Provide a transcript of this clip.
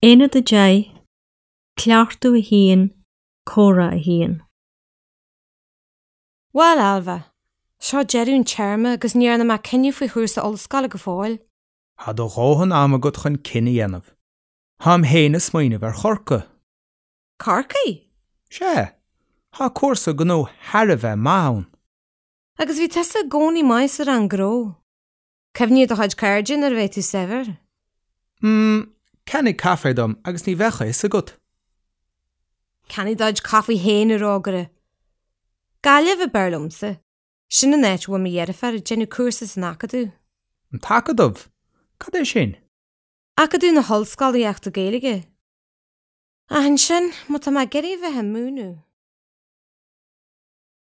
Aonad 10, Cleachtadh 1, Comhrá 1. Bhuel, Ailbhe, seo deireadh an téarma agus ní dhearna mé cinneadh faoi chúrsa ollscoile go fóill. Tá do dhóthain ama agat chun cinneadh a dhéanamh. Táim féin ag smaoineamh ar Chorcaigh. Corcaigh? Sea, tá cúrsa gnó thar a bheith maith ann. Agus bhí tusa i gcónaí maith sa rang gnó. Cuimhnigh ar do chuid cairde nuair a bheidh tú saibhir. Mm, ceannaigh caife dom agus ní bheadh a fhios agat. Ceannaigh do chuid caife féin, a rógaire. Gaillimh ab fhearr liomsa. Sin an áit a bhfuil mo dheirfiúr ag déanamh cúrsa san Acadamh. An tAcadamh? Cad é sin? Acadamh na hOllscolaíochta Gaeilge. Ach ansin, má tá mé ag iarraidh a bheith ag múineadh.